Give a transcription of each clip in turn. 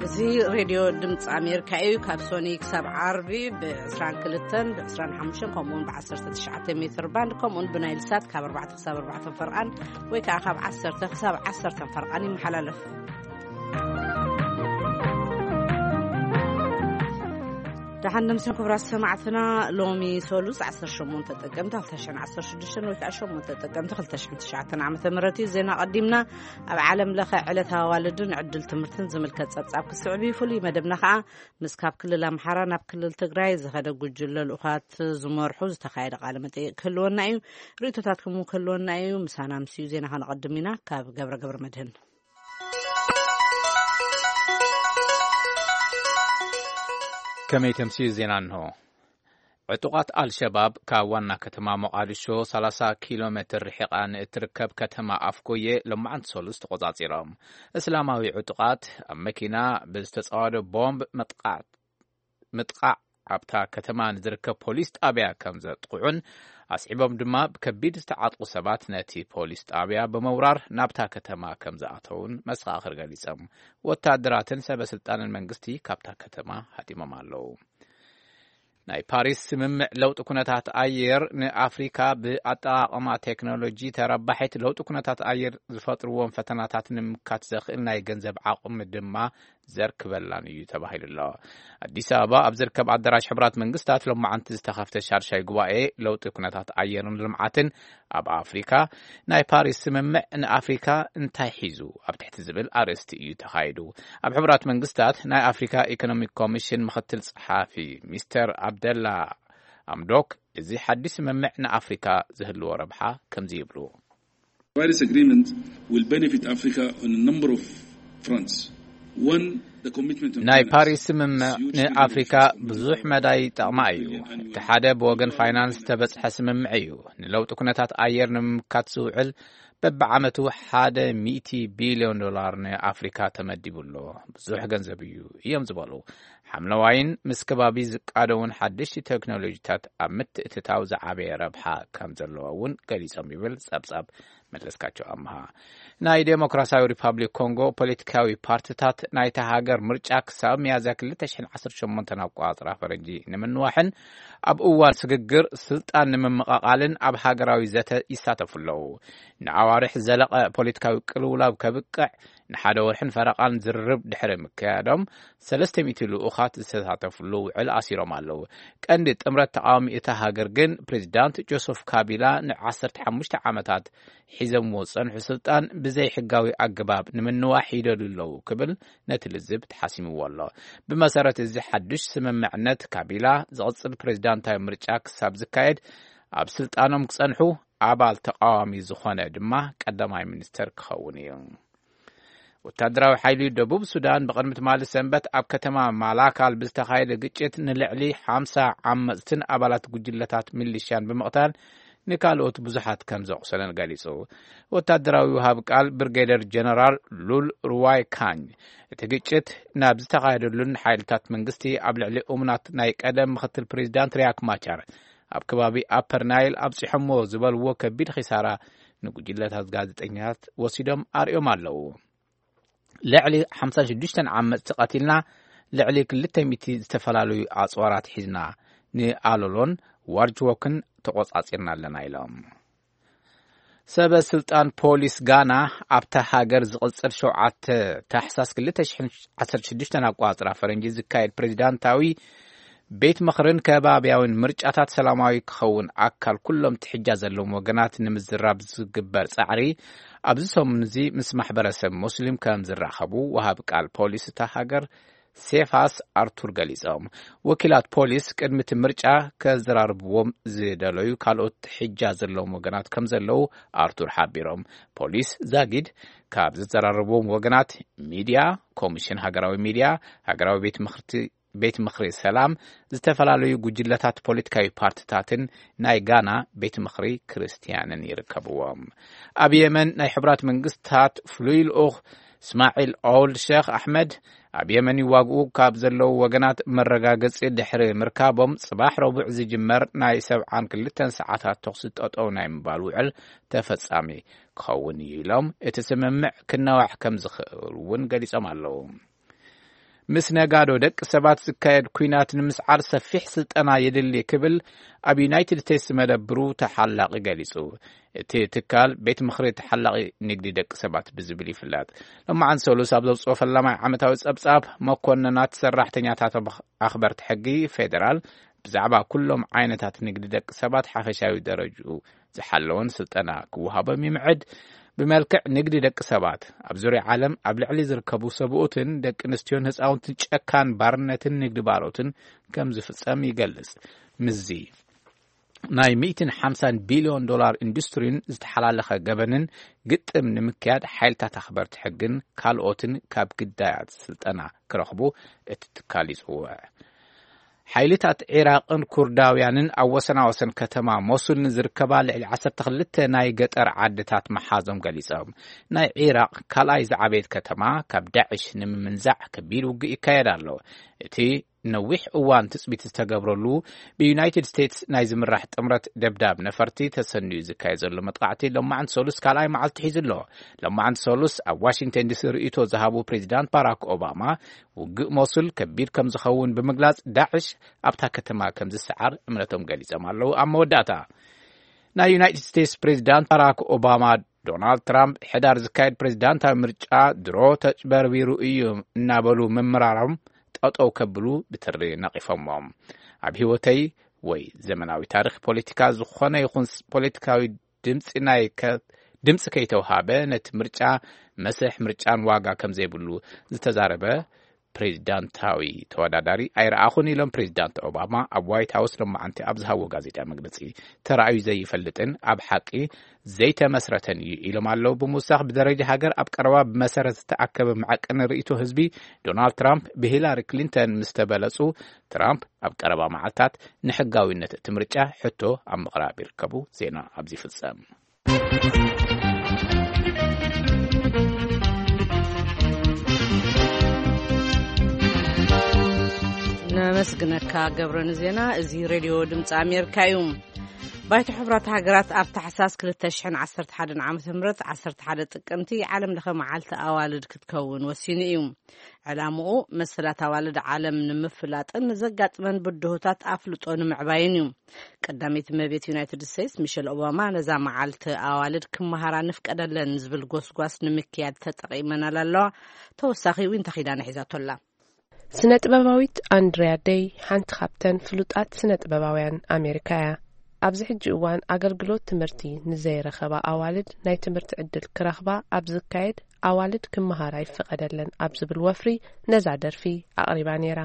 እዚ ሬድዮ ድምፂ ኣሜሪካ እዩ። ካብ ሶኒ ክሳብ ዓርቢ ብ22 ብ25 ከምኡውን ብ19 ሜትር ባንድ ከምኡውን ብናይል ሳት ካብ ኣርባዕተ ክሳብ ኣርባዕተ ፈርቓን ወይ ከዓ ካብ ዓሰርተ ክሳብ ዓሰርተ ፈርቓን ይመሓላለፍ። ደሓን ንምስን ክቡራት ሰማዕትና፣ ሎሚ ሰሉስ 18 ጥቅምቲ 2016 ወይ ከዓ 8 ጥቅምቲ 2009 ዓመተ ምህረት እዩ። ዜና ቀዲምና። ኣብ ዓለም ለኸ ዕለታዊ ኣዋልድን ዕድል ትምህርትን ዝምልከት ጸብጻብ ክስዕብ እዩ። ፍሉይ መደብና ከዓ ምስ ካብ ክልል ኣምሓራ ናብ ክልል ትግራይ ዝኸደ ጉጅለ ልኡኻት ዝመርሑ ዝተኻየደ ቃለ መጠይቅ ክህልወና እዩ። ርእይቶታትኩም እውን ክህልወና እዩ። ምሳና ምስዩ ዜና ከነቐድም ኢና። ካብ ገብረ ገብረ መድህን። ከመይ ተምስዩ ዜና እንሆ። ዕጡቓት ኣልሸባብ ካብ ዋና ከተማ ሞቓዲሾ 30 ኪሎ ሜትር ርሒቓ ንእትርከብ ከተማ ኣፍጎየ ሎማዓንቲ ሰሉስ ተቖጻጺሮም። እስላማዊ ዕጡቓት ኣብ መኪና ብዝተጻወደ ቦምብ መጥቃዕ-፣ ምጥቃዕ ኣብታ ከተማ ንዝርከብ ፖሊስ ጣብያ ከም ዘጥቕዑን ኣስዒቦም ድማ ብከቢድ ዝተዓጥቑ ሰባት ነቲ ፖሊስ ጣብያ ብምውራር ናብታ ከተማ ከም ዝኣተውን መሰኻኽር ገሊጾም። ወታደራትን ሰበ ስልጣንን መንግስቲ ካብታ ከተማ ሃዲሞም ኣለዉ። ናይ ፓሪስ ስምምዕ ለውጢ ኩነታት ኣየር ንኣፍሪካ ብኣጠቓቕማ ቴክኖሎጂ ተረባሒት ለውጢ ኩነታት ኣየር ዝፈጥርዎም ፈተናታት ንምምካት ዘኽእል ናይ ገንዘብ ዓቕሚ ድማ ዘርክበላን እዩ ተባሂሉ ኣሎ። ኣዲስ ኣበባ ኣብ ዝርከብ ኣዳራሽ ሕቡራት መንግስታት ሎማዓንቲ ዝተኸፍተ ሻድሻይ ጉባኤ ለውጢ ኩነታት ኣየርን ልምዓትን ኣብ ኣፍሪካ፣ ናይ ፓሪስ ስምምዕ ንኣፍሪካ እንታይ ሒዙ ኣብ ትሕቲ ዝብል ኣርእስቲ እዩ ተኻይዱ። ኣብ ሕቡራት መንግስታት ናይ ኣፍሪካ ኢኮኖሚክ ኮሚሽን ምኽትል ጸሓፊ ሚስተር ኣብደላ ኣምዶክ፣ እዚ ሓድሽ ስምምዕ ንኣፍሪካ ዝህልዎ ረብሓ ከምዚ ይብሉ። Paris Agreement will benefit Africa on a number of fronts. One, the commitment of ናይ dollars. ፓሪስ ስምምዕ ንኣፍሪካ ብዙሕ መዳይ ይጠቕማ እዩ። እቲ ሓደ ብወገን ፋይናንስ ዝተበጽሐ ስምምዕ እዩ። ንለውጢ ኩነታት ኣየር ንምምካት ዝውዕል በብዓመቱ ሓደ ሚእቲ ቢልዮን ዶላር ንኣፍሪካ ተመዲቡ ኣሎ። ብዙሕ ገንዘብ እዩ እዮም ዝበሉ። ሓምለዋይን ምስ ከባቢ ዝቃደውን ሓደሽቲ ቴክኖሎጂታት ኣብ ምትእትታው ዝዓበየ ረብሓ ከም ዘለዎ እውን ገሊጾም ይብል ጸብጻብ መለስካቸው ኣምሃ። ናይ ዴሞክራሲያዊ ሪፓብሊክ ኮንጎ ፖለቲካዊ ፓርቲታት ናይታ ሃገር ምርጫ ክሳብ ሚያዝያ 2018 ኣቋጽራ ፈረንጂ ንምንዋሕን ኣብ እዋን ስግግር ስልጣን ንምምቐቓልን ኣብ ሃገራዊ ዘተ ይሳተፉ ኣለዉ። ንኣዋርሕ ዘለቐ ፖለቲካዊ ቅልውላው ከብቅዕ ንሓደ ወርሕን ፈረቓን ዝርርብ ድሕሪ ምክያዶም፣ 300 ልኡኻት ዝተሳተፉሉ ውዕል ኣሲሮም ኣለዉ። ቀንዲ ጥምረት ተቃዋሚ እታ ሃገር ግን ፕሬዚዳንት ጆሰፍ ካቢላ ን15 ዓመታት ሒዘምዎ ዝጸንሑ ስልጣን ብዘይ ሕጋዊ ኣገባብ ንምንዋሕ ይደልዩ ኣለዉ ክብል ነቲ ልዝብ ተሓሲምዎ ኣሎ። ብመሰረት እዚ ሓድሽ ስምምዕነት፣ ካቢላ ዝቕጽል ፕሬዚዳንታዊ ምርጫ ክሳብ ዝካየድ ኣብ ስልጣኖም ክጸንሑ፣ ኣባል ተቃዋሚ ዝኾነ ድማ ቀዳማይ ሚኒስተር ክኸውን እዩ። ወታደራዊ ሓይሊ ደቡብ ሱዳን ብቕድሚ ትማሊ ሰንበት ኣብ ከተማ ማላካል ብዝተኻየደ ግጭት ንልዕሊ 50 ዓመጽትን ኣባላት ጉጅለታት ሚሊሽያን ብምቕታል ንካልኦት ብዙሓት ከም ዘቑሰለን ገሊጹ። ወታደራዊ ውሃብ ቃል ብርጌደር ጀነራል ሉል ሩዋይ ካኝ፣ እቲ ግጭት ናብ ዝተኻየደሉን ሓይልታት መንግስቲ ኣብ ልዕሊ እሙናት ናይ ቀደም ምኽትል ፕሬዚዳንት ሪያክ ማቻር ኣብ ከባቢ ኣፐር ናይል ኣብጺሖሞ ዝበልዎ ከቢድ ኺሳራ ንጉጅለታት ጋዜጠኛታት ወሲዶም ኣርእዮም ኣለዉ። ልዕሊ 56 ዓመጽቲ ቀቲልና፣ ልዕሊ 200 ዝተፈላለዩ ኣጽዋራት ሒዝና፣ ንኣሎሎን ዋርጅዎክን ተቖጻጺርና ኣለና ኢሎም። ሰበ ስልጣን ፖሊስ ጋና ኣብታ ሃገር ዝቕጽል 7 ታሕሳስ 2016 ኣቋጽራ ፈረንጂ ዝካየድ ፕሬዚዳንታዊ ቤት ምኽርን ከባቢያውን ምርጫታት ሰላማዊ ክኸውን ኣካል ኩሎም ትሕጃ ዘለዎም ወገናት ንምዝራብ ዝግበር ጻዕሪ ኣብዚ ሰሙን እዚ ምስ ማሕበረሰብ ሙስሊም ከም ዝራኸቡ ወሃብ ቃል ፖሊስ እታ ሃገር ሴፋስ ኣርቱር ገሊጾም። ወኪላት ፖሊስ ቅድሚ እቲ ምርጫ ከዘራርብዎም ዝደለዩ ካልኦት ትሕጃ ዘለዎም ወገናት ከም ዘለዉ ኣርቱር ሓቢሮም። ፖሊስ ዛጊድ ካብ ዘዘራርብዎም ወገናት ሚድያ፣ ኮሚሽን ሃገራዊ ሚድያ፣ ሃገራዊ ቤት ምኽርቲ፣ ቤት ምኽሪ ሰላም፣ ዝተፈላለዩ ጉጅለታት ፖለቲካዊ ፓርቲታትን ናይ ጋና ቤት ምኽሪ ክርስትያንን ይርከብዎም። ኣብ የመን ናይ ሕቡራት መንግስታት ፍሉይ ልኡኽ እስማዒል ኦልድ ሸኽ ኣሕመድ ኣብ የመን ይዋግኡ ካብ ዘለዉ ወገናት መረጋገጺ ድሕሪ ምርካቦም፣ ጽባሕ ረቡዕ ዝጅመር ናይ ሰብዓን ክልተን ሰዓታት ተኹሲ ጠጠው ናይ ምባል ውዕል ተፈጻሚ ክኸውን እዩ ኢሎም፣ እቲ ስምምዕ ክነዋሕ ከም ዝኽእል እውን ገሊጾም ኣለዉ። ምስ ነጋዶ ደቂ ሰባት ዝካየድ ኲናት ንምስዓር ሰፊሕ ስልጠና የድሊ ክብል ኣብ ዩናይትድ ስቴትስ መደብሩ ተሓላቒ ገሊጹ። እቲ ትካል ቤት ምኽሪ ተሓላቒ ንግዲ ደቂ ሰባት ብዝብል ይፍለጥ። ሎማዓን ሰሉስ ኣብ ዘውፅኦ ፈላማይ ዓመታዊ ጸብጻብ፣ መኮንናት ሰራሕተኛታት ኣኽበርቲ ሕጊ ፌደራል ብዛዕባ ኩሎም ዓይነታት ንግዲ ደቂ ሰባት ሓፈሻዊ ደረጅኡ ዝሓለወን ስልጠና ክወሃቦም ይምዕድ። ብመልክዕ ንግዲ ደቂ ሰባት ኣብ ዙርያ ዓለም ኣብ ልዕሊ ዝርከቡ ሰብኡትን ደቂ ኣንስትዮን ህፃውንትን ጨካን ባርነትን ንግዲ ባሮትን ከም ዝፍጸም ይገልጽ። ምስዚ ናይ ሚእትን ሓምሳን ቢልዮን ዶላር ኢንዱስትሪን ዝተሓላለኸ ገበንን ግጥም ንምክያድ ሓይልታት ኣኽበርቲ ሕግን ካልኦትን ካብ ግዳያት ስልጠና ክረኽቡ እቲ ትካል ይጽውዕ። ሓይልታት ዒራቕን ኩርዳውያንን ኣብ ወሰናወሰን ከተማ ሞሱል ንዝርከባ ልዕሊ ዓሰርተ ክልተ ናይ ገጠር ዓድታት መሓዞም ገሊጾም። ናይ ዒራቕ ካልኣይ ዝዓበየት ከተማ ካብ ዳዕሽ ንምምንዛዕ ከቢድ ውግእ ይካየድ ኣሎ። እቲ ነዊሕ እዋን ትጽቢት ዝተገብረሉ ብዩናይትድ ስቴትስ ናይ ዝምራሕ ጥምረት ደብዳብ ነፈርቲ ተሰንዩ ዝካየድ ዘሎ መጥቃዕቲ ሎማዓንቲ ሰሉስ ካልኣይ መዓልቲ ሒዙ ኣሎ። ሎማዓንቲ ሰሉስ ኣብ ዋሽንግተን ዲሲ ርእይቶ ዝሃቡ ፕሬዚዳንት ባራክ ኦባማ፣ ውግእ ሞሱል ከቢድ ከም ዝኸውን ብምግላጽ፣ ዳዕሽ ኣብታ ከተማ ከም ዝሰዓር እምነቶም ገሊጾም ኣለዉ። ኣብ መወዳእታ፣ ናይ ዩናይትድ ስቴትስ ፕሬዚዳንት ባራክ ኦባማ፣ ዶናልድ ትራምፕ ሕዳር ዝካየድ ፕሬዚዳንታዊ ምርጫ ድሮ ተጭበርቢሩ እዩ እናበሉ ምምራሮም ጠጠው ከብሉ ብትሪ ነቒፎሞም። ኣብ ህይወተይ ወይ ዘመናዊ ታሪኽ ፖለቲካ ዝኾነ ይኹን ስ-፣ ፖለቲካዊ ድምፂ ናይ ከ-፣ ድምፂ ከይተውሃበ ነቲ ምርጫ መስርሕ ምርጫን ዋጋ ከም ዘይብሉ ዝተዛረበ ፕሬዚዳንታዊ ተወዳዳሪ ኣይረኣኹን ኢሎም ፕሬዚዳንት ኦባማ ኣብ ዋይት ሃውስ ሎማዓንቲ ኣብ ዝሃብዎ ጋዜጣ መግለፂ። ተራእዩ ዘይፈልጥን ኣብ ሓቂ ዘይተመስረተን እዩ ኢሎም ኣለዉ። ብምውሳኽ ብደረጃ ሃገር ኣብ ቀረባ ብመሰረት ዝተኣከበ መዐቀኒ ርእይቶ ህዝቢ ዶናልድ ትራምፕ ብሂላሪ ክሊንተን ምስ ተበለጹ፣ ትራምፕ ኣብ ቀረባ መዓልታት ንሕጋዊነት እቲ ምርጫ ሕቶ ኣብ ምቕራብ ይርከቡ። ዜና ኣብዚ ይፍጸም። ነመስግነካ ገብረ ንዜና። እዚ ሬድዮ ድምፂ ኣሜሪካ እዩ። ባይቶ ሕቡራት ሃገራት ኣብ ታሕሳስ ክልተ ሽሕን ዓሰርተ ሓደን ዓመተ ምህረት ዓሰርተ ሓደ ጥቅምቲ ዓለም ለኸ መዓልቲ ኣዋልድ ክትከውን ወሲኑ እዩ። ዕላምኡ መሰላት ኣዋልድ ዓለም ንምፍላጥን ንዘጋጥመን ብድሆታት ኣፍልጦ ንምዕባይን እዩ። ቀዳመይቲ እመቤት ዩናይትድ ስቴትስ ሚሸል ኦባማ ነዛ መዓልቲ ኣዋልድ ክመሃራ ንፍቀደለን ዝብል ጎስጓስ ንምክያድ ተጠቒመናል ኣለዋ። ተወሳኺ ዊንታ ኪዳነ ሒዛቶ ኣላ። ስነ ጥበባዊት ኣንድሪያ ደይ ሓንቲ ካብተን ፍሉጣት ስነ ጥበባውያን ኣሜሪካ እያ። ኣብዚ ሕጂ እዋን ኣገልግሎት ትምህርቲ ንዘይረኸባ ኣዋልድ ናይ ትምህርቲ ዕድል ክረኽባ ኣብ ዝካየድ ኣዋልድ ክመሃራ ይፈቐደለን ኣብ ዝብል ወፍሪ ነዛ ደርፊ ኣቕሪባ ነይራ።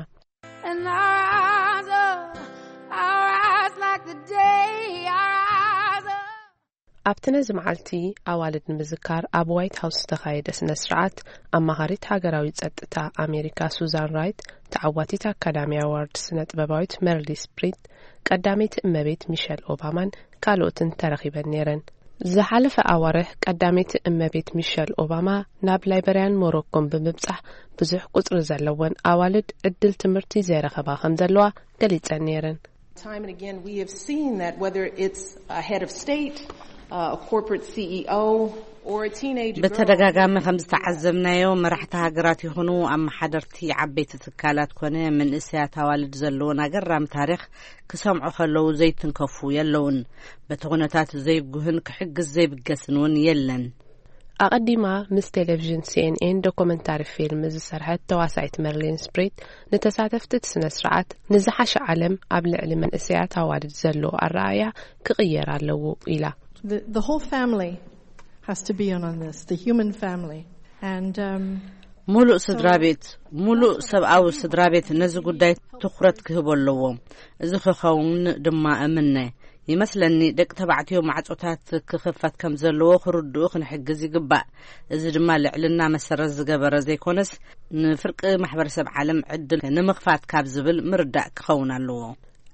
And I rise up, I rise like the day, I rise up. ኣብቲ ነዚ መዓልቲ ኣዋልድ ንምዝካር ኣብ ዋይት ሃውስ ዝተኻየደ ስነ ስርዓት፣ ኣማኻሪት ሃገራዊ ጸጥታ ኣሜሪካ ሱዛን ራይት፣ ተዓዋቲት ኣካዳሚ ኣዋርድ ስነ ጥበባዊት መርሊ ስፕሪት፣ ቀዳመይቲ እመቤት ሚሸል ኦባማን ካልኦትን ተረኺበን ነይረን። ዝሓለፈ ኣዋርሕ ቀዳመይቲ እመቤት ሚሸል ኦባማ ናብ ላይበርያን ሞሮኮን ብምብጻሕ፣ ብዙሕ ቁጽሪ ዘለወን ኣዋልድ ዕድል ትምህርቲ ዘይረኸባ ከም ዘለዋ ገሊጸን ነይረን። Time and again, we have seen that whether it's a head of state, uh, a corporate C E O, or a teenage girl. በተደጋጋሚ ከም ዝተዓዘብናዮ፣ መራሕቲ ሃገራት ይኹኑ ኣመሓደርቲ ዓበይቲ ትካላት ኮነ መንእሰያት ኣዋልድ ዘለዎን ኣገራሚ ታሪኽ ክሰምዑ ከለዉ ዘይትንከፉ የለውን። በቲ ኩነታት ዘይጉህን ክሕግዝ ዘይብገስን እውን የለን። ኣቐዲማ ምስ ቴሌቪዥን ሲ ኤን ኤን ዶኩመንታሪ ፊልም ዝሰርሐት ተዋሳኢት መርሊን ስፕሪት፣ ንተሳተፍቲ እቲ ስነ ስርዓት ንዝሓሸ ዓለም ኣብ ልዕሊ መንእሰያት ኣዋልድ ዘሎ ኣረኣእያ ክቕየር ኣለዎ ኢላ። The, the whole family has to be in on this, the human family. And, um, ሙሉእ so ስድራ ቤት፣ ሙሉእ ሰብኣዊ ስድራ ቤት ነዚ ጉዳይ ትኹረት ክህቦ ኣለዎ። እዚ ክኸውን ድማ እምነ። ይመስለኒ፣ ደቂ ተባዕትዮ ማዕጾታት ክኽፈት ከም ዘለዎ ክርድኡ ክንሕግዝ ይግባእ። እዚ ድማ ልዕልና መሰረት ዝገበረ ዘይኮነስ፣ ንፍርቂ ማሕበረሰብ ዓለም ዕድል ንምኽፋት ካብ ዝብል ምርዳእ ክኸውን ኣለዎ።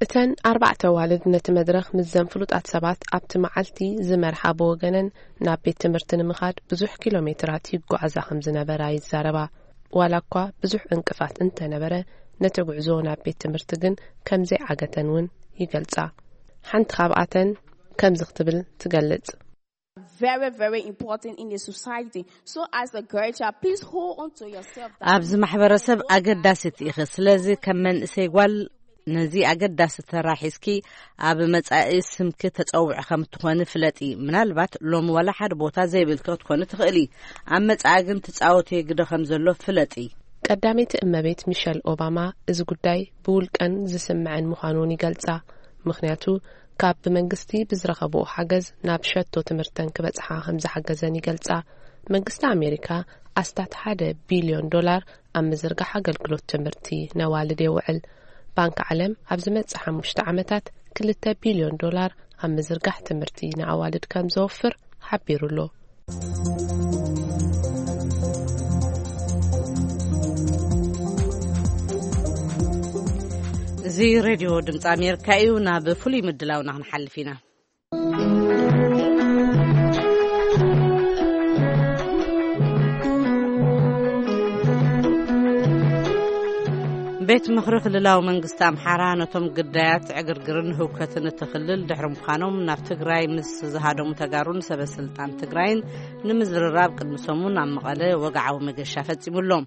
እተን ኣርባዕተ ኣዋልድ ነቲ መድረኽ ምስዘን ፍሉጣት ሰባት ኣብቲ መዓልቲ ዝመርሓ ብወገነን፣ ናብ ቤት ትምህርቲ ንምኻድ ብዙሕ ኪሎ ሜትራት ይጓዓዛ ከም ዝነበራ ይዛረባ። ዋላ እኳ ብዙሕ ዕንቅፋት እንተነበረ፣ ነቲ ጉዕዞ ናብ ቤት ትምህርቲ ግን ከም ዘይዓገተን እውን ይገልጻ። ሓንቲ ካብኣተን ከምዚ ክትብል ትገልጽ። Very, very important in the society. So as a girl child, please hold on to yourself. That ኣብዚ ማሕበረሰብ ኣገዳሲት ኢኺ። ስለዚ ከም መንእሰይ ጓል ነዚ ኣገዳሲ ተራ ሒዝኪ ኣብ መጻኢ ስምኪ ተጸውዒ ከም እትኾኒ ፍለጢ። ምናልባት ሎሚ ዋላ ሓደ ቦታ ዘይብልኪ ክትኮኒ ትኽእሊ። ኣብ መጻኢ ግን ትጻወትዮ ግደ ከም ዘሎ ፍለጢ። ቀዳመይቲ እመቤት ሚሸል ኦባማ እዚ ጉዳይ ብውልቀን ዝስምዐን ምዃኑን ይገልጻ። ምኽንያቱ ካብ ብመንግስቲ ብዝረኸብኦ ሓገዝ ናብ ሸቶ ትምህርተን ክበጽሓ ከም ዝሓገዘን ይገልጻ። መንግስቲ ኣሜሪካ ኣስታት ሓደ ቢልዮን ዶላር ኣብ ምዝርጋሕ ኣገልግሎት ትምህርቲ ነዋልድ የውዕል። ባንክ ዓለም ኣብ ዝመጽእ ሓሙሽተ ዓመታት ክልተ ቢልዮን ዶላር ኣብ ምዝርጋሕ ትምህርቲ ንኣዋልድ ከም ዘወፍር ሓቢሩ ኣሎ። እዚ ሬድዮ ድምፂ ኣሜሪካ እዩ። ናብ ፍሉይ ምድላውና ክንሓልፍ ኢና። ቤት ምኽሪ ክልላዊ መንግስቲ ኣምሓራ ነቶም ግዳያት ዕግርግርን ህውከትን እቲ ክልል ድሕሪ ምዃኖም ናብ ትግራይ ምስ ዝሃደሙ ተጋሩን ሰበ ስልጣን ትግራይን ንምዝርራብ ቅድሚ ሰሙን ኣብ መቐለ ወግዓዊ መገሻ ፈጺሙሎም።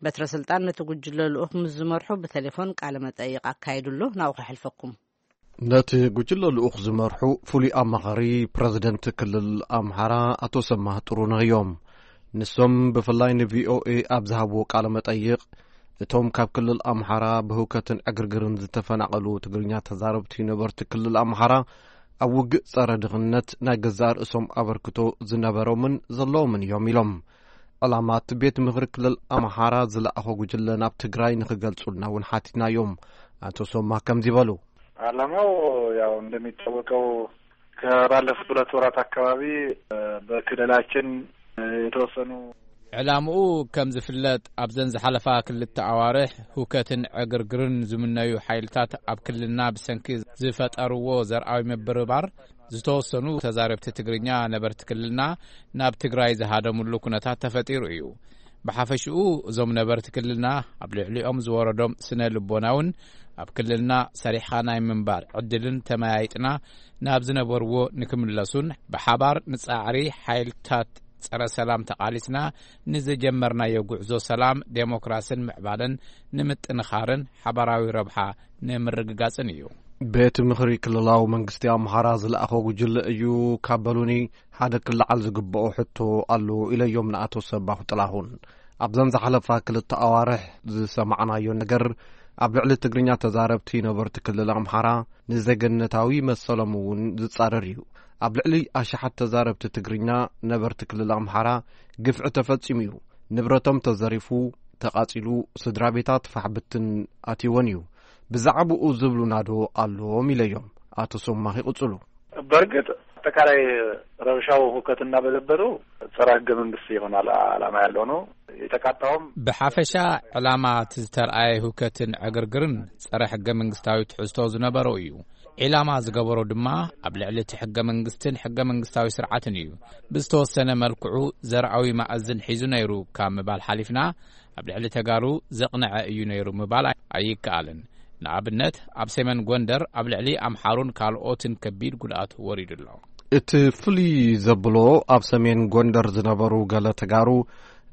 በትረ ስልጣን ነቲ ጉጅለ ልኡኽ ምስ ዝመርሑ ብቴሌፎን ቃለ መጠይቕ ኣካይዱሎ። ናብኡ ከሕልፈኩም። ነቲ ጉጅለ ልኡኽ ዝመርሑ ፍሉይ ኣማኻሪ ፕረዚደንት ክልል ኣምሓራ ኣቶ ሰማህ ጥሩነህ እዮም። ንሶም ብፍላይ ንቪኦኤ ኣብ ዝሃብዎ ቃለ መጠይቕ፣ እቶም ካብ ክልል ኣምሓራ ብህውከትን ዕግርግርን ዝተፈናቐሉ ትግርኛ ተዛረብቲ ነበርቲ ክልል ኣምሓራ ኣብ ውግእ ጸረ ድኽነት ናይ ገዛእ ርእሶም ኣበርክቶ ዝነበሮምን ዘለዎምን እዮም ኢሎም። ዕላማት ቤት ምኽሪ ክልል ኣምሓራ ዝለኣኾ ጉጅለ ናብ ትግራይ ንኽገልጹልና እውን ሓቲትናዮም። ኣቶ ሶማ ከምዚ በሉ። ዓላማው ያው እንደሚታወቀው ከባለፉት ሁለት ወራት አካባቢ በክልላችን የተወሰኑ ዕላምኡ ከም ዝፍለጥ ኣብዘን ዝሓለፋ ክልተ ኣዋርሕ ህውከትን ዕግርግርን ዝምነዩ ሓይልታት ኣብ ክልልና ብሰንኪ ዝፈጠርዎ ዘርኣዊ ምብርባር ዝተወሰኑ ተዛረብቲ ትግርኛ ነበርቲ ክልልና ናብ ትግራይ ዝሃደምሉ ኩነታት ተፈጢሩ እዩ። ብሓፈሽኡ እዞም ነበርቲ ክልልና ኣብ ልዕሊኦም ዝወረዶም ስነ ልቦናውን ኣብ ክልልና ሰሪሕኻ ናይ ምንባር ዕድልን ተመያይጥና ናብ ዝነበርዎ ንክምለሱን ብሓባር ንጻዕሪ ሓይልታት ጸረ ሰላም ተቓሊስና ንዝጀመርናዮ ጉዕዞ ሰላም፣ ዴሞክራስን ምዕባለን ንምጥንኻርን ሓባራዊ ረብሓ ንምርግጋጽን እዩ። ቤት ምኽሪ ክልላዊ መንግስቲ ኣምሓራ ዝለኣኾ ጉጅለ እዩ ካብ በሉኒ፣ ሓደ ክለዓል ዝግብኦ ሕቶ ኣሎ ኢለዮም ንኣቶ ሰባኹ ጥላሁን። ኣብዘን ዝሓለፋ ክልተ ኣዋርሕ ዝሰማዕናዮ ነገር ኣብ ልዕሊ ትግርኛ ተዛረብቲ ነበርቲ ክልል ኣምሓራ ንዜግነታዊ መሰሎም እውን ዝጻረር እዩ። ኣብ ልዕሊ ኣሽሓት ተዛረብቲ ትግርኛ ነበርቲ ክልል ኣምሓራ ግፍዒ ተፈጺሙ እዩ። ንብረቶም ተዘሪፉ፣ ተቓጺሉ፣ ስድራ ቤታት ፋሕ ብትን ኣትይወን እዩ። ብዛዕባኡ ዝብሉና ዶ ኣሎዎም ኢለዮም። ኣቶ ሶማኽ ይቕጽሉ። በእርግጥ አጠቃላይ ረብሻው ሁከትና በዘበሩ ጸረ ህገ መንግስት የሆነ አላ- ዓላማ ያለው ነው። የተቃጣውም ብሓፈሻ ዕላማ እቲ ዝተርኣየ ህውከትን ዕግርግርን ጸረ ሕገ መንግስታዊ ትሕዝቶ ዝነበሮ እዩ። ዒላማ ዝገበሮ ድማ ኣብ ልዕሊ እቲ ሕገ መንግስትን ሕገ መንግስታዊ ስርዓትን እዩ። ብዝተወሰነ መልክዑ ዘርኣዊ ማእዝን ሒዙ ነይሩ ካብ ምባል ሓሊፍና ኣብ ልዕሊ ተጋሩ ዘቕነዐ እዩ ነይሩ ምባል ኣይከኣልን። ንኣብነት ኣብ ሰሜን ጎንደር ኣብ ልዕሊ ኣምሓሩን ካልኦትን ከቢድ ጉድኣት ወሪዱ ኣሎ። እቲ ፍሉይ ዘብሎ ኣብ ሰሜን ጎንደር ዝነበሩ ገለ ተጋሩ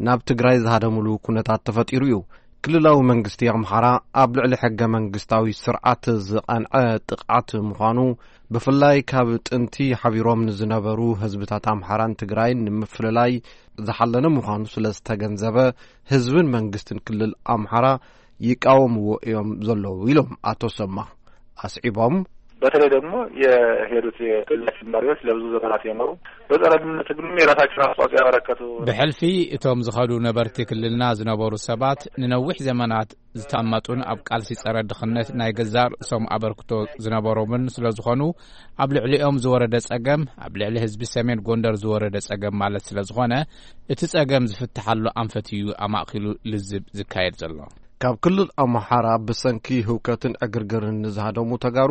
ናብ ትግራይ ዝሃደምሉ ኩነታት ተፈጢሩ እዩ። ክልላዊ መንግስቲ ኣምሓራ ኣብ ልዕሊ ሕገ መንግስታዊ ስርዓት ዝቐንዐ ጥቕዓት ምዃኑ፣ ብፍላይ ካብ ጥንቲ ሓቢሮም ንዝነበሩ ህዝብታት ኣምሓራን ትግራይን ንምፍልላይ ዝሓለነ ምዃኑ ስለ ዝተገንዘበ፣ ህዝብን መንግስትን ክልል ኣምሓራ ይቃወምዎ እዮም ዘለዉ ኢሎም ኣቶ ሰማ ኣስዒቦም። በተለይ ደግሞ የሄዱት የክልላችን መሪዎች ለብዙ ዘመናት የኖሩ በጸረ ድህነት ትግሉም የራሳቸውን አስተዋጽኦ ያበረከቱ ብሕልፊ እቶም ዝኸዱ ነበርቲ ክልልና ዝነበሩ ሰባት ንነዊሕ ዘመናት ዝተቐመጡን ኣብ ቃልሲ ጸረ ድኽነት ናይ ገዛእ ርእሶም ኣበርክቶ ዝነበሮምን ስለ ዝኾኑ፣ ኣብ ልዕሊኦም ዝወረደ ጸገም፣ ኣብ ልዕሊ ህዝቢ ሰሜን ጎንደር ዝወረደ ጸገም ማለት ስለ ዝኾነ፣ እቲ ጸገም ዝፍትሓሉ ኣንፈት እዩ ኣማእኪሉ ልዝብ ዝካየድ ዘሎ። ካብ ክልል ኣምሓራ ብሰንኪ ህውከትን ዕግርግርን ንዝሃደሙ ተጋሩ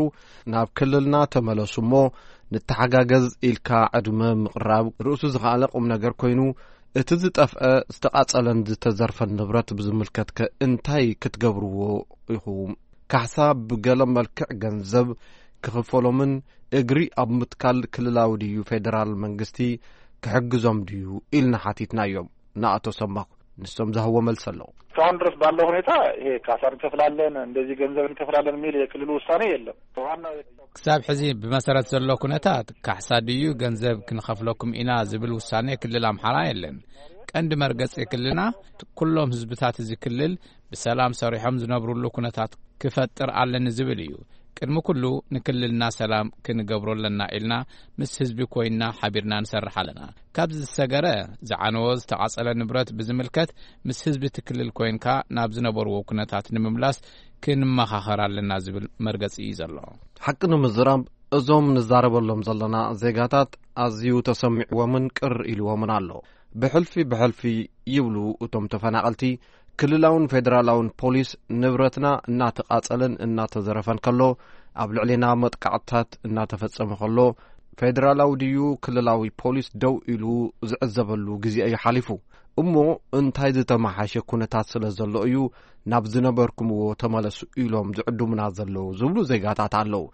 ናብ ክልልና ተመለሱ እሞ ንተሓጋገዝ ኢልካ ዕድመ ምቕራብ ርእሱ ዝኸኣለ ቁም ነገር ኮይኑ፣ እቲ ዝጠፍአ፣ ዝተቓጸለን ዝተዘርፈን ንብረት ብዝምልከትከ እንታይ ክትገብርዎ ኢኹም? ካሕሳ ብገለ መልክዕ ገንዘብ ክኽፈሎምን እግሪ ኣብ ምትካል ክልላዊ ድዩ ፌደራል መንግስቲ ክሕግዞም ድዩ ኢልና ሓቲትናዮም ንኣቶ ሰማኹ። ንሶም ዝሃብዎ መልሲ ኣሎ። እስካሁን ድረስ ባለው ሁኔታ ይሄ ካሳ እንከፍላለን፣ እንደዚህ ገንዘብ እንከፍላለን የሚል የክልሉ ውሳኔ የለም። ዋናው ክሳብ ሕዚ ብመሰረት ዘሎ ኩነታት ካሕሳ ድዩ ገንዘብ ክንኸፍለኩም ኢና ዝብል ውሳኔ ክልል ኣምሓራ የለን። ቀንዲ መርገጺ ክልልና ኩሎም ህዝብታት እዚ ክልል ብሰላም ሰሪሖም ዝነብሩሉ ኩነታት ክፈጥር ኣለኒ ዝብል እዩ። ቅድሚ ኩሉ ንክልልና ሰላም ክንገብሮ ኣለና ኢልና ምስ ህዝቢ ኮይንና ሓቢርና ንሰርሕ ኣለና። ካብዚ ዝሰገረ ዝዓነወ ዝተቓጸለ ንብረት ብዝምልከት ምስ ህዝቢ እቲ ክልል ኮይንካ ናብ ዝነበርዎ ኩነታት ንምምላስ ክንመኻኸር ኣለና ዝብል መርገጺ እዩ ዘሎ። ሓቂ ንምዝራብ እዞም ንዛረበሎም ዘለና ዜጋታት ኣዝዩ ተሰሚዕዎምን ቅር ኢልዎምን ኣሎ። ብሕልፊ ብሕልፊ ይብሉ እቶም ተፈናቐልቲ፣ ክልላውን ፌደራላውን ፖሊስ ንብረትና እናተቓጸለን እናተዘረፈን ከሎ ኣብ ልዕሌና መጥቃዕትታት እናተፈጸመ ከሎ ፌደራላዊ ድዩ ክልላዊ ፖሊስ ደው ኢሉ ዝዕዘበሉ ግዜ እዩ ሓሊፉ። እሞ እንታይ ዝተመሓሸ ኩነታት ስለ ዘሎ እዩ ናብ ዝነበርኩምዎ ተመለሱ ኢሎም ዝዕድሙና ዘለዉ ዝብሉ ዜጋታት ኣለዉ።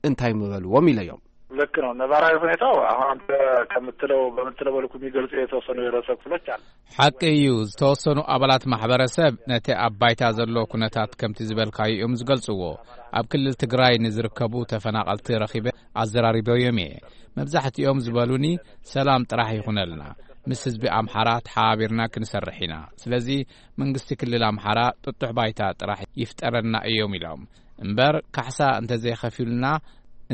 እንታይ ምበልዎም ኢለዮም። ልክ ነው። ነባራዊ ሁኔታው አሁን አንተ ከምትለው በምትለው መልኩ የሚገልጹ የተወሰኑ የህብረተሰብ ክፍሎች አሉ። ሓቂ እዩ። ዝተወሰኑ ኣባላት ማሕበረሰብ ነቲ ኣብ ባይታ ዘሎ ኩነታት ከምቲ ዝበልካዮ እዮም ዝገልጽዎ። ኣብ ክልል ትግራይ ንዝርከቡ ተፈናቐልቲ ረኺበ ኣዘራሪበዮም እየ። መብዛሕትኦም ዝበሉኒ ሰላም ጥራሕ ይኹነልና፣ ምስ ህዝቢ ኣምሓራ ተሓባቢርና ክንሰርሕ ኢና። ስለዚ መንግስቲ ክልል ኣምሓራ ጥጡሕ ባይታ ጥራሕ ይፍጠረልና እዮም ኢሎም። እምበር ካሕሳ እንተዘይኸፊሉና፣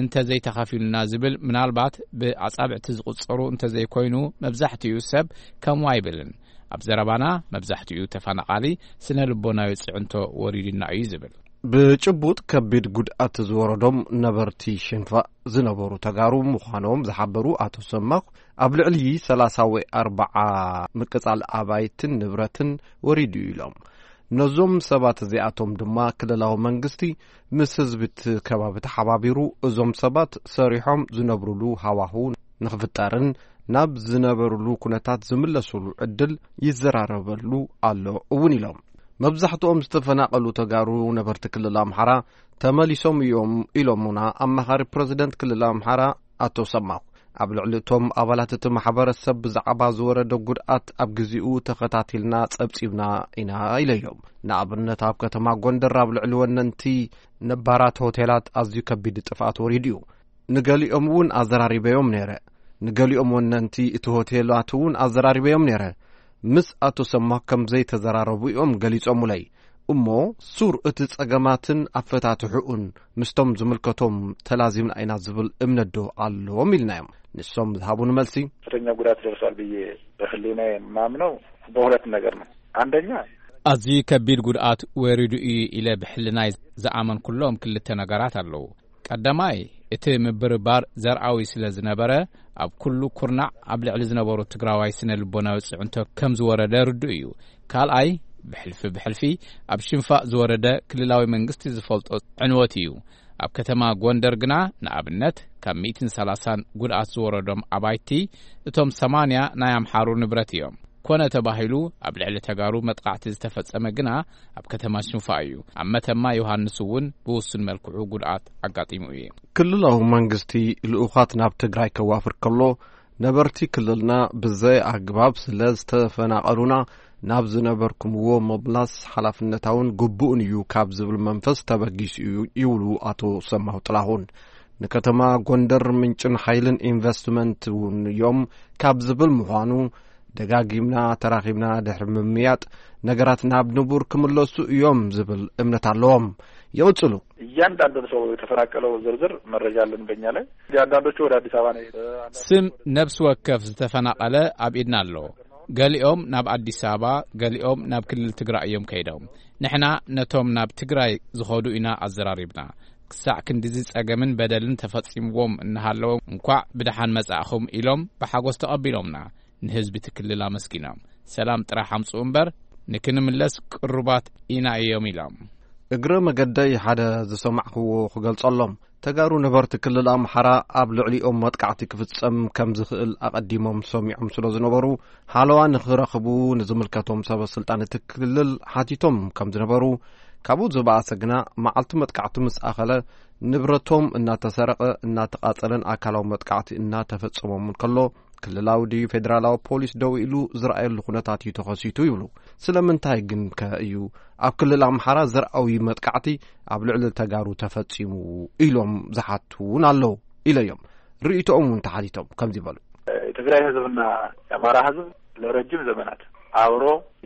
እንተዘይተኸፊሉና ዝብል ምናልባት ብኣጻብዕቲ ዝቑጸሩ እንተዘይኮይኑ መብዛሕትኡ ሰብ ከምኡ ኣይብልን። ኣብ ዘረባና መብዛሕትኡ ተፈናቓሊ ስነ ልቦናዊ ጽዕንቶ ወሪድና እዩ ዝብል። ብጭቡጥ ከቢድ ጉድኣት ዝወረዶም ነበርቲ ሽንፋ ዝነበሩ ተጋሩ ምዃኖም ዝሓበሩ ኣቶ ሰማኩ፣ ኣብ ልዕሊ ሰላሳ ወይ ኣርባዓ ምቅጻል ኣባይትን ንብረትን ወሪዱ እዩ ኢሎም። ነዞም ሰባት እዚኣቶም ድማ ክልላዊ መንግስቲ ምስ ህዝቢ እቲ ከባቢ ተሓባቢሩ እዞም ሰባት ሰሪሖም ዝነብሩሉ ሃዋህው ንኽፍጠርን ናብ ዝነበሩሉ ኩነታት ዝምለሱሉ ዕድል ይዘራረበሉ ኣሎ እውን ኢሎም። መብዛሕትኦም ዝተፈናቐሉ ተጋሩ ነበርቲ ክልል ኣምሓራ ተመሊሶም እዮም ኢሎምና ኣማኻሪ ፕረዚደንት ክልል ኣምሓራ ኣቶ ሰማኩ። ኣብ ልዕሊ እቶም ኣባላት እቲ ማሕበረሰብ ብዛዕባ ዝወረደ ጉድኣት ኣብ ግዜኡ ተኸታቲልና ጸብጺብና ኢና ኢለዮም። ንኣብነት ኣብ ከተማ ጎንደር ኣብ ልዕሊ ወነንቲ ነባራት ሆቴላት ኣዝዩ ከቢድ ጥፍኣት ወሪዱ እዩ። ንገሊኦም እውን ኣዘራሪበዮም ነይረ። ንገሊኦም ወነንቲ እቲ ሆቴላት እውን ኣዘራሪበዮም ነይረ። ምስ ኣቶ ሰማኩ ከም ዘይተዘራረቡ እዮም ገሊጾሙለይ። እሞ ሱር እቲ ጸገማትን ኣፈታትሕኡን ምስቶም ዝምልከቶም ተላዚምና ኢና ዝብል እምነት ዶ ኣለዎም ኢልናዮም። ንሶም ዝሃቡን መልሲ። ከፍተኛ ጉዳት ደርሷል ብዬ በህሊናዬ የማምነው በሁለት ነገር ነው። አንደኛ ኣዝዩ ከቢድ ጉድኣት ወሪዱ እዩ ኢለ ብሕልናይ ዝኣመንኩሎም ክልተ ነገራት ኣለዉ። ቀዳማይ እቲ ምብርባር ዘርኣዊ ስለ ዝነበረ ኣብ ኩሉ ኩርናዕ ኣብ ልዕሊ ዝነበሩ ትግራዋይ ስነ ልቦናዊ ጽዕንቶ ከም ዝወረደ ርዱእ እዩ። ካልኣይ ብሕልፊ ብሕልፊ ኣብ ሽንፋእ ዝወረደ ክልላዊ መንግስቲ ዝፈልጦ ዕንወት እዩ። ኣብ ከተማ ጎንደር ግና ንኣብነት ካብ ሚእትን ሰላሳን ጉድኣት ዝወረዶም ኣባይቲ እቶም ሰማንያ ናይ ኣምሓሩ ንብረት እዮም። ኮነ ተባሂሉ ኣብ ልዕሊ ተጋሩ መጥቃዕቲ ዝተፈጸመ ግና ኣብ ከተማ ሽንፋ እዩ። ኣብ መተማ ዮሃንስ እውን ብውሱን መልክዑ ጉድኣት ኣጋጢሙ እዩ። ክልላዊ መንግስቲ ልኡኻት ናብ ትግራይ ከዋፍር ከሎ ነበርቲ ክልልና ብዘይ ኣግባብ ስለ ዝተፈናቐሉና ናብ ዝነበርኩምዎ ምምላስ ሓላፍነታውን ግቡእን እዩ ካብ ዝብል መንፈስ ተበጊሱ እዩ ይብሉ ኣቶ ሰማሁ ጥላሁን። ንከተማ ጎንደር ምንጭን ሓይልን ኢንቨስትመንት እውን እዮም ካብ ዝብል ምዃኑ ደጋጊምና ተራኺብና ድሕሪ ምምያጥ ነገራት ናብ ንቡር ክምለሱ እዮም ዝብል እምነት ኣለዎም። ይቕጽሉ። እያንዳንዱን ሰው የተፈናቀለው ዝርዝር መረጃ አለን በእኛ ላይ። አንዳንዶቹ ወደ አዲስ አበባ ነው የሄደ። ስም ነፍስ ወከፍ ዝተፈናቐለ ኣብ ኢድና ኣሎ። ገሊኦም ናብ ኣዲስ ኣበባ፣ ገሊኦም ናብ ክልል ትግራይ እዮም ከይዶም። ንሕና ነቶም ናብ ትግራይ ዝኸዱ ኢና ኣዘራሪብና። ክሳዕ ክንድዚ ጸገምን በደልን ተፈጺምዎም እናሃለዎም እንኳዕ ብደሓን መጻእኹም ኢሎም ብሓጎስ ተቐቢሎምና። ንህዝቢ እቲ ክልል ኣመስጊኖም ሰላም ጥራሕ ኣምጽኡ እምበር ንክንምለስ ቅሩባት ኢና እዮም ኢሎም። እግረ መገደይ ሓደ ዝሰማዕክዎ ክገልጸሎም፣ ተጋሩ ነበርቲ ክልል ኣምሓራ ኣብ ልዕሊኦም መጥቃዕቲ ክፍጸም ከም ዝኽእል ኣቐዲሞም ሰሚዖም ስለ ዝነበሩ፣ ሓለዋ ንኽረኽቡ ንዝምልከቶም ሰበ ስልጣን እቲ ክልል ሓቲቶም ከም ዝነበሩ፣ ካብኡ ዝበኣሰ ግና መዓልቲ መጥቃዕቲ ምስ ኣኸለ፣ ንብረቶም እናተሰረቐ፣ እናተቓጸለን ኣካላዊ መጥቃዕቲ እናተፈጸሞምን ከሎ፣ ክልላዊ ድዩ ፌደራላዊ ፖሊስ ደው ኢሉ ዝረኣየሉ ኩነታት እዩ ተኸሲቱ ይብሉ። ስለምንታይ ግን ከ እዩ ኣብ ክልል ኣምሓራ ዘርኣዊ መጥቃዕቲ ኣብ ልዕሊ ተጋሩ ተፈጺሙ ኢሎም ዝሓቱ እውን ኣለዉ ኢለዮም። ርእይቶኦም እውን ተሓቲቶም ከምዚ በሉ። የትግራይ ህዝብና የአማራ ህዝብ ለረጅም ዘመናት አብሮ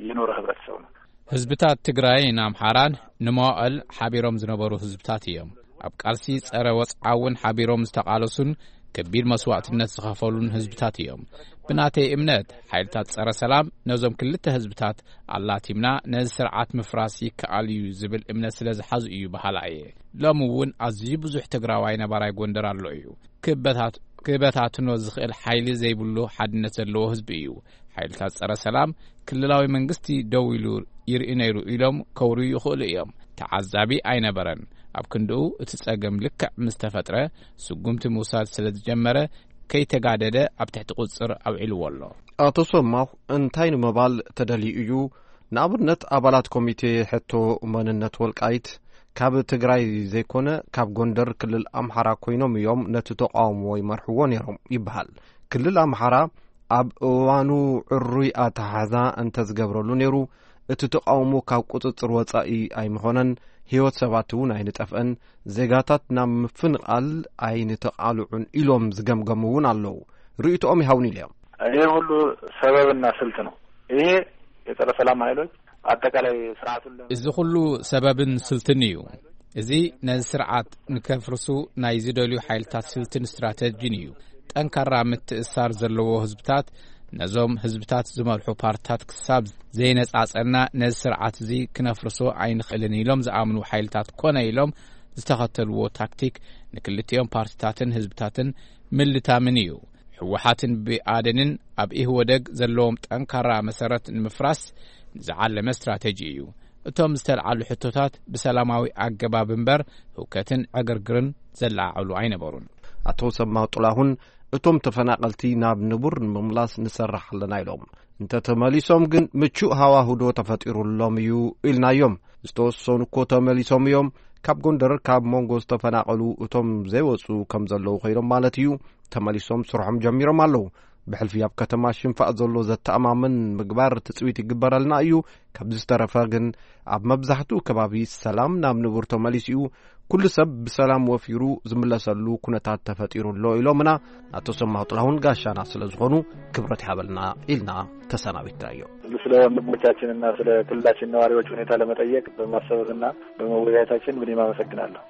የኖረ ህብረተሰብ ነው። ህዝብታት ትግራይን ኣምሓራን ንመዋእል ሓቢሮም ዝነበሩ ህዝብታት እዮም። ኣብ ቃልሲ ጸረ ወጽዓ እውን ሓቢሮም ዝተቓለሱን ከቢድ መስዋዕትነት ዝኸፈሉን ህዝብታት እዮም። ብናተይ እምነት፣ ሓይልታት ጸረ ሰላም ነዞም ክልተ ህዝብታት ኣላቲምና ነዚ ስርዓት ምፍራስ ይከኣል እዩ ዝብል እምነት ስለ ዝሓዙ እዩ በሃላ እየ። ሎሚ እውን ኣዝዩ ብዙሕ ትግራዋይ ነባራይ ጎንደር ኣሎ እዩ። ክበታት-፣ ክበታትኖ ዝኽእል ሓይሊ ዘይብሉ ሓድነት ዘለዎ ህዝቢ እዩ። ሓይልታት ጸረ ሰላም ክልላዊ መንግስቲ ደው ኢሉ ይርኢ ነይሩ ኢሎም ከውርዩ ይኽእሉ እዮም። ተዓዛቢ ኣይነበረን። ኣብ ክንድኡ እቲ ጸገም ልክዕ ምስ ተፈጥረ ስጉምቲ ምውሳድ ስለ ዝጀመረ ከይተጋደደ ኣብ ትሕቲ ቁጽር ኣውዒልዎ ኣሎ። ኣቶ ሰማሁ እንታይ ንምባል ተደልዩ እዩ? ንኣብነት ኣባላት ኮሚቴ ሕቶ መንነት ወልቃይት ካብ ትግራይ ዘይኮነ ካብ ጎንደር ክልል ኣምሓራ ኮይኖም እዮም ነቲ ተቃውሞ ይመርሕዎ ነይሮም ይበሃል። ክልል ኣምሓራ ኣብ እዋኑ ዕሩይ ኣተሓሕዛ እንተዝገብረሉ ነይሩ፣ እቲ ተቃውሞ ካብ ቁጽጽር ወጻኢ ኣይምኾነን፣ ህይወት ሰባት እውን ኣይንጠፍአን፣ ዜጋታት ናብ ምፍንቓል ኣይንተቓልዑን ኢሎም ዝገምገሙ እውን ኣለዉ። ርእይቶኦም ይሃውኒ ኢሎም። ይሄ ሁሉ ሰበብና ስልት ነው። ይሄ የጸረ ሰላም ኃይሎች አጠቃላይ ስርዓቱን ለ- እዚ ኩሉ ሰበብን ስልትን እዩ። እዚ ነዚ ስርዓት ንከፍርሱ ናይ ዝደልዩ ሓይልታት ስልትን ስትራተጂን እዩ። ጠንካራ ምትእሳር ዘለዎ ህዝብታት፣ ነዞም ህዝብታት ዝመርሑ ፓርትታት ክሳብ ዘይነጻጸና ነዚ ስርዓት እዚ ክነፍርሶ ኣይንኽእልን ኢሎም ዝኣምኑ ሓይልታት ኮነ ኢሎም ዝተኸተልዎ ታክቲክ ንክልቲኦም ፓርትታትን ህዝብታትን ምልታምን እዩ። ህወሓትን ብኣደንን ኣብ ኢህወደግ ዘለዎም ጠንካራ መሰረት ንምፍራስ ዝዓለመ ስትራተጂ እዩ። እቶም ዝተልዓሉ ሕቶታት ብሰላማዊ ኣገባብ እምበር ህውከትን ዕግርግርን ዘለዓዕሉ ኣይነበሩን። ኣቶ ሰማ ጥላሁን፣ እቶም ተፈናቐልቲ ናብ ንቡር ንምምላስ ንሰርሕ ኣለና ኢሎም። እንተተመሊሶም ግን ምቹእ ሃዋህዶ ተፈጢሩሎም እዩ ኢልናዮም። ዝተወሰኑ እኮ ተመሊሶም እዮም። ካብ ጎንደር ካብ መንጎ ዝተፈናቐሉ እቶም ዘይወፁ ከም ዘለዉ ኮይኖም ማለት እዩ። ተመሊሶም ስርሖም ጀሚሮም ኣለዉ። ብሕልፊ ኣብ ከተማ ሽንፋእ ዘሎ ዘተኣማምን ምግባር ትጽቢት ይግበረልና እዩ። ካብዚ ዝተረፈ ግን ኣብ መብዛሕትኡ ከባቢ ሰላም ናብ ንቡር ተመሊሱ እዩ። ኩሉ ሰብ ብሰላም ወፊሩ ዝምለሰሉ ኩነታት ተፈጢሩ ኣሎ ኢሎምና። ኣቶ ሰማሁ ጥላሁን ጋሻና ስለ ዝኾኑ ክብረት ይሃበልና ኢልና ተሰናቢትናዮ። ስለ ወንድሞቻችንና ስለ ክልላችን ነዋሪዎች ሁኔታ ለመጠየቅ በማሰብና በመወያየታችን ምንም አመሰግናለሁ።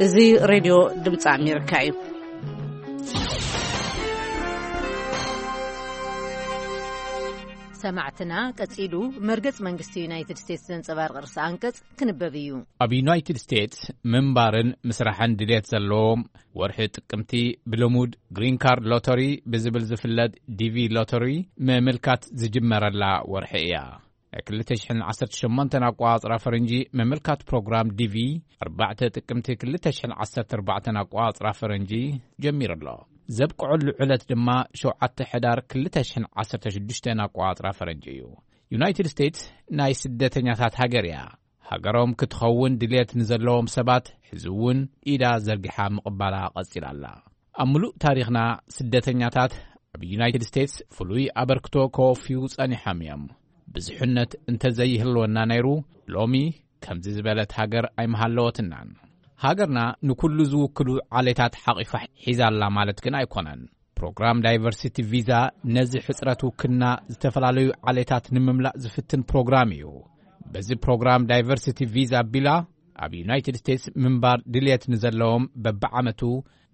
እዚ ሬድዮ ድምፂ ኣሜሪካ እዩ። ሰማዕትና፣ ቀጺሉ መርገጽ መንግስቲ ዩናይትድ ስቴትስ ዘንጸባርቕ ርእሰ ኣንቀጽ ክንበብ እዩ። ኣብ ዩናይትድ ስቴትስ ምንባርን ምስራሕን ድልየት ዘለዎም፣ ወርሒ ጥቅምቲ ብልሙድ ግሪን ካርድ ሎተሪ ብዝብል ዝፍለጥ ዲቪ ሎተሪ ምምልካት ዝጅመረላ ወርሒ እያ። ናይ ክልተ ሽሕን ዓሰርተ ሸሞንተን ኣቋጽራ ፈረንጂ ምምልካት ፕሮግራም ዲቪ ኣርባዕተ ጥቅምቲ ክልተ ሽሕን ዓሰርተ ኣርባዕተን ኣቋጽራ ፈረንጂ ጀሚሩ ኣሎ። ዘብቅዐሉ ዕለት ድማ ሸውዓተ ሕዳር ክልተ ሽሕን ዓሰርተ ሽዱሽተን ኣቋጽራ ፈረንጂ እዩ። ዩናይትድ ስቴትስ ናይ ስደተኛታት ሃገር እያ። ሃገሮም ክትኸውን ድልየት ንዘለዎም ሰባት ሕዚ እውን ኢዳ ዘርጊሓ ምቕባላ ቀጺላ ኣላ። ኣብ ምሉእ ታሪኽና ስደተኛታት ኣብ ዩናይትድ ስቴትስ ፍሉይ ኣበርክቶ ከወፍዩ ጸኒሖም እዮም። ብዙሕነት እንተዘይህልወና ነይሩ፣ ሎሚ ከምዚ ዝበለት ሃገር ኣይምሃለወትናን። ሃገርና ንኩሉ ዝውክሉ ዓሌታት ሓቒፋ ሒዛ ኣላ ማለት ግን ኣይኮነን። ፕሮግራም ዳይቨርሲቲ ቪዛ ነዚ ሕጽረት ውክልና ዝተፈላለዩ ዓሌታት ንምምላእ ዝፍትን ፕሮግራም እዩ። በዚ ፕሮግራም ዳይቨርሲቲ ቪዛ ቢላ ኣብ ዩናይትድ ስቴትስ ምንባር ድልየት ንዘለዎም በብዓመቱ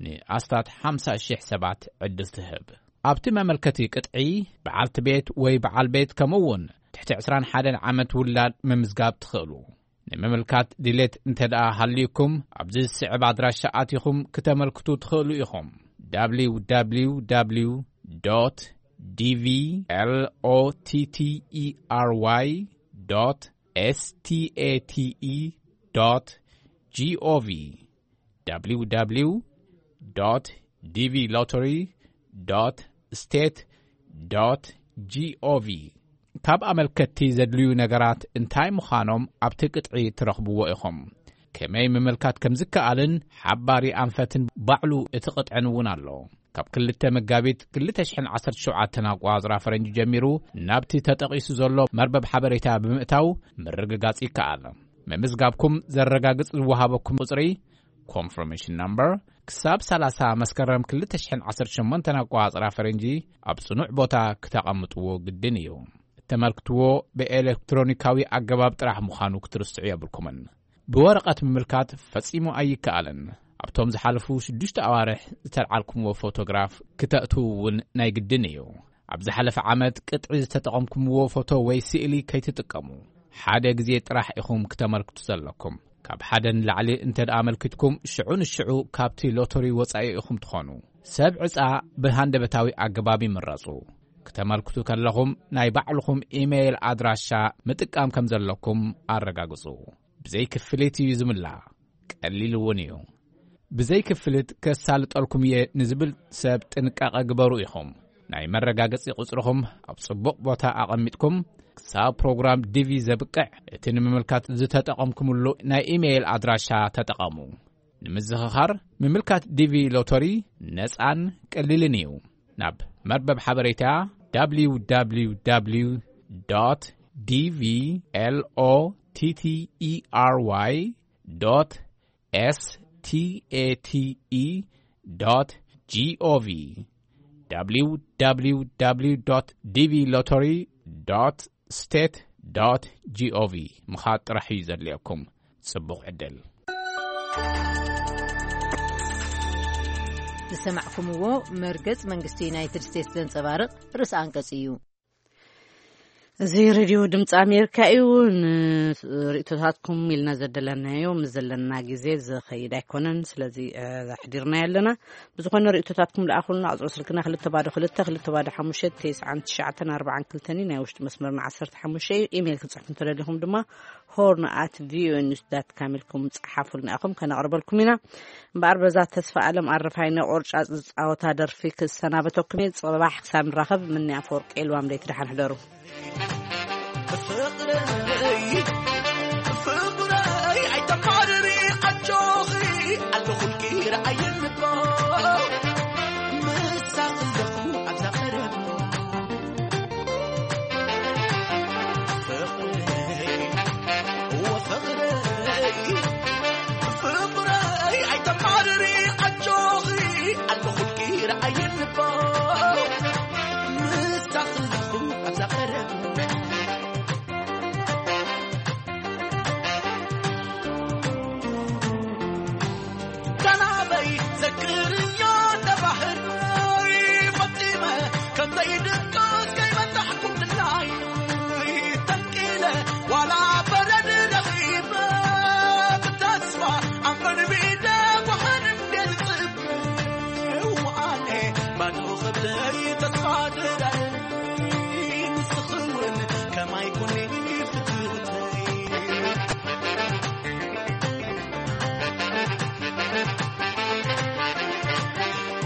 ንኣስታት ሓምሳ ሽሕ ሰባት ዕድል ትህብ። ኣብቲ መመልከቲ ቅጥዒ በዓልቲ ቤት ወይ በዓል ቤት ከምኡ እውን ትሕቲ ዕስራን ሓደን ዓመት ውላድ ምምዝጋብ ትኽእሉ። ንምምልካት ድሌት እንተ ደኣ ሃልዩኩም፣ ኣብዚ ዝስዕብ ኣድራሻ ኣቲኹም ክተመልክቱ ትኽእሉ ኢኹም። www.dvlottery.state.gov www.dvlottery.state.gov ካብ ኣመልከትቲ ዘድልዩ ነገራት እንታይ ምዃኖም ኣብቲ ቅጥዒ ትረኽብዎ ኢኹም። ከመይ ምምልካት ከም ዝከኣልን ሓባሪ ኣንፈትን ባዕሉ እቲ ቅጥዕን እውን ኣሎ። ካብ ክልተ መጋቢት ክልተ ሽሕን ዓሰርተ ሸውዓተን ኣቋጽራ ፈረንጂ ጀሚሩ ናብቲ ተጠቒሱ ዘሎ መርበብ ሓበሬታ ብምእታው ምርግጋጽ ይከኣል። ምምዝጋብኩም ዘረጋግጽ ዝወሃበኩም ቁጽሪ፣ ኮንፈርሜሽን ናምበር፣ ክሳብ ሰላሳ መስከረም ክልተ ሽሕን ዓሰርተ ሸሞንተን ኣቋጽራ ፈረንጂ ኣብ ጽኑዕ ቦታ ክተቐምጥዎ ግድን እዩ። እተመልክትዎ ብኤሌክትሮኒካዊ ኣገባብ ጥራሕ ምዃኑ ክትርስዑ የብልኩምን። ብወረቐት ምምልካት ፈጺሙ ኣይከኣልን። ኣብቶም ዝሓለፉ ሽዱሽተ ኣዋርሕ ዝተልዓልኩምዎ ፎቶግራፍ ክተእትዉ እውን ናይ ግድን እዩ። ኣብ ዝሓለፈ ዓመት ቅጥዒ ዝተጠቐምኩምዎ ፎቶ ወይ ስእሊ ከይትጥቀሙ። ሓደ ግዜ ጥራሕ ኢኹም ክተመልክቱ ዘለኩም። ካብ ሓደ ንላዕሊ እንተ ደኣ ኣመልኪትኩም፣ ሽዑ ንሽዑ ካብቲ ሎተሪ ወጻኢ ኢኹም ትኾኑ። ሰብ ዕጻ ብሃንደበታዊ ኣገባብ ይምረጹ። ክተመልክቱ ከለኹም፣ ናይ ባዕልኹም ኢሜይል ኣድራሻ ምጥቃም ከም ዘለኩም ኣረጋግጹ። ብዘይ ክፍሊት እዩ ዝምላእ። ቀሊል እውን እዩ። ብዘይ ክፍሊት ከሳልጠልኩም እየ ንዝብል ሰብ ጥንቃቐ ግበሩ ኢኹም። ናይ መረጋገጺ ቁጽርኹም ኣብ ጽቡቕ ቦታ ኣቐሚጥኩም፣ ክሳብ ፕሮግራም ዲቪ ዘብቅዕ፣ እቲ ንምምልካት ዝተጠቐምኩምሉ ናይ ኢሜይል ኣድራሻ ተጠቐሙ። ንምዝኽኻር፣ ምምልካት ዲቪ ሎተሪ ነጻን ቀሊልን እዩ። ናብ መርበብ ሓበሬታ www.dvlottery.state.gov www.dvlottery.state.gov ምኻድ ጥራሕ እዩ ዘድልየኩም። ጽቡቕ ዕድል። ዝሰማዕኩምዎ መርገጽ መንግስቲ ዩናይትድ ስቴትስ ዘንጸባርቕ ርእሰ ኣንቀጽ እዩ። እዚ ሬድዮ ድምፂ ኣሜሪካ እዩ። ንርእቶታትኩም ኢልና ዘደለናዮ ምስ ዘለና ግዜ ዝኸይድ ኣይኮነን። ስለዚ፣ እ፣ ኣሕዲርና ኣለና። ብዝኾነ ርእቶታትኩም ለኣኹልና። ቁፅሪ ስልክና ክልተ ባዶ ክልተ፣ ክልተ ባዶ ሓሙሽተ፣ ተስዓን ትሽዓተን ኣርባዓን ክልተን እዩ። ናይ ውሽጢ መስመርና ዓሰርተ ሓሙሽተ እዩ። ኢሜይል ክትፅሕፉ እንተደሊኹም ድማ ሆርን ኣት ቪኦኤ ኒውስ ዳት ካም ኢልኩም ጸሓፉልና ኢኹም፣ ከነቕርበልኩም ኢና። እምበኣር በዛ ተስፋ ኣለም ኣረፋይነ ቆርጫጽ ዝጻወታ ደርፊ ክሰናበተኩም እየ። ጽባሕ ክሳብ ንራኸብ፣ ምንያ ኣፈወርቂ፣ ልዋም ለይቲ፣ ደሓን ሕደሩ። ፍቕረይ፣ ፍቕረይ፣ ኣይተማርሪ፣ ኣጆኺ፣ ኣለኹልኪ፣ ረኣይኒ እኮ። ምሳኺ ኣለኹ ኣብዛ ቀረባ። ፍቕረይ፣ ወፍቕረይ፣ ፍቕረይ፣ ኣይተማርሪ፣ ኣጆኺ፣ ኣለኹልኪ፣ ረኣይኒ እኮ። ምሳኺ ኣለኹ ኣብዛ ቀረባ። ካናበይ ዘክርዮ እንደ ባህርይ ፈጺመ ከም ዘይድቅስ ከይበላሕኩም ድላይ ተንቂለ ዋላ በረድ ረኺበ ብተስፋ ኣንበርቢደ ጓሓን እንዴ ዝጽበ ውዓለ ባዶ ክብለይ ተስፋ ድራይ ንስኺ እውን ከማይ ኩኒ ፍትውተይ።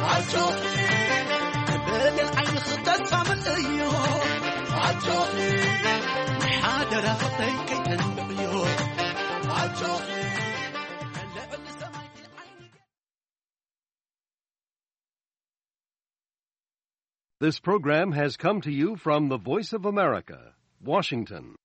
ኣጆኺ በገል ዓይንኺ ተስፋ ምልእዮ። ኣጆኺ ሓደራ ፍቕረይ ከይተንብዕዮ። ኣጆኺ ልዕሊ ሰማይ ዓይኒ This program has come to you from the Voice of America, Washington.